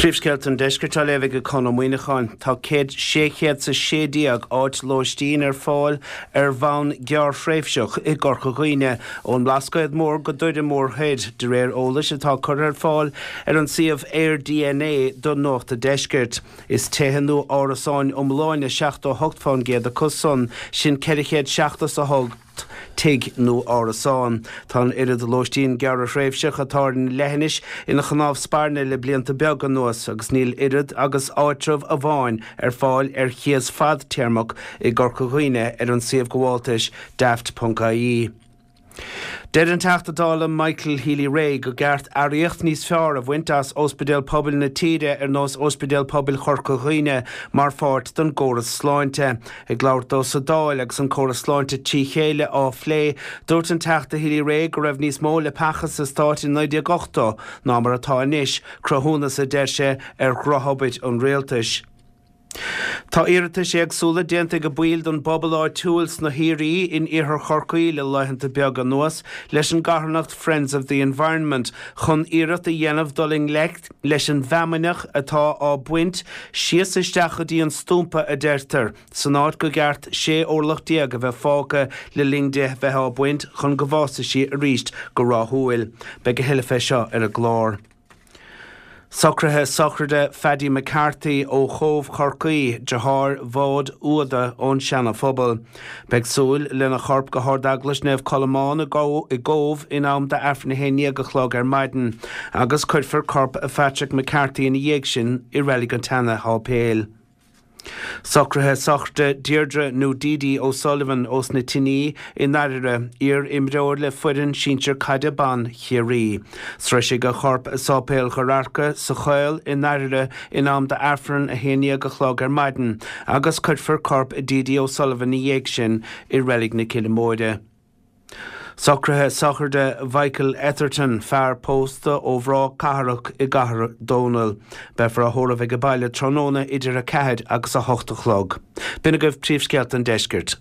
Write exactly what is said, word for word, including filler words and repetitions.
Príomhscéalta an Deiscirt á léamh ag Conn Ó Muíneacháin. Tá céad sé chéad is a sé déag áit lóistín ar fáil ar bhonn gearrthréimhseach i gCorca Dhuibhne, ón mBlascaod Mór go Doire Mór Thoir, de réir eolais atá curtha ar fáil ar an suíomh AirDNA do Nuacht an Deiscirt. Is tithe nó árasáin iomláine seachtó a hocht faoin gcéad acu san, sin ceithre chéad seachtó a hocht tigh nó árasán. Tá an oiread lóistín gearrthréimhseach atá ar an leithinis ina chnámh spairne le blianta beaga anuas agus níl oiread agus áitreabh amháin ar fáil ar chíos fadtéarmach i gCorca Dhuibhne ar an suíomh gabháltais daft.ie. Deir an Teachta Dála Michael Healy-Rae go gceart earraíocht níos fearr a bhaint as ospidéil pobail na tíre ar nós Ospidéal Pobail Chorca Dhuibhne mar pháirt den gcóras sláinte. Ag labhairt dó sa Dáil agus an córas sláinte trí chéile á phlé, dúirt an Teachta Healy-Rae go raibh níos mó leapacha sa stát in naoi déag ochtó ná mar atá anois, cruthúnas, a deir sé, ar dhrochobair an rialtais. Tá iarratais éagsúla déanta ag baill den bpobal áitiúil sna hIarthaí in iarthar Chorcaí le laethanta beaga anuas leis an gcarthanacht Friends of the Environment chun iarracht a dhéanamh dul i ngleic leis an bhfeamainneach atá á baint síos isteach go dtí an stumpa a deirtear san áit go gceart sé orlach déag a bheith fágtha le linn di bheith á baint chun go bhfásfaidh sí arís go rathúil. Beidh a thuilleadh fé seo ar an gclár. Socruithe sochraide Phaddy McCarthy ó Chóbh Chorcaí, deartháir Mhaud Uada ón Seana-Phobal. Beidh súil lena chorp go hArd-Eaglais Naomh Colmán i gCóbh in am d'Aifreann a haon déag a chlog ar maidin agus cuirfear corp Phatrick McCarthy ina dhiaidh sin i Reilig an tSeana-Sháipéil. Socruithe sochraide Deirdre nó Dee O'Sullivan ós na Tiní i nDairire, iar-imreoir le foireann sinsir caide ban Chiarraí. Sroisfidh a chorp Sáipéal Gharbhachaidh sa Choill i nDairire in am d'Aifreann a haon déag a chlog ar maidin agus cuirfear corp Dee O'Sullivan ina dhiaidh sin i Reilig na Cille Móire. Socruithe sochraide Mhichael Etherton, fear pósta ó Bhráth Cathrach i gCathair Dónall. Beifear á thórramh ag an baile tráthnóna idir a ceathair agus a hocht a chlog. B'in agaibh príomhscéalta an deiscirt.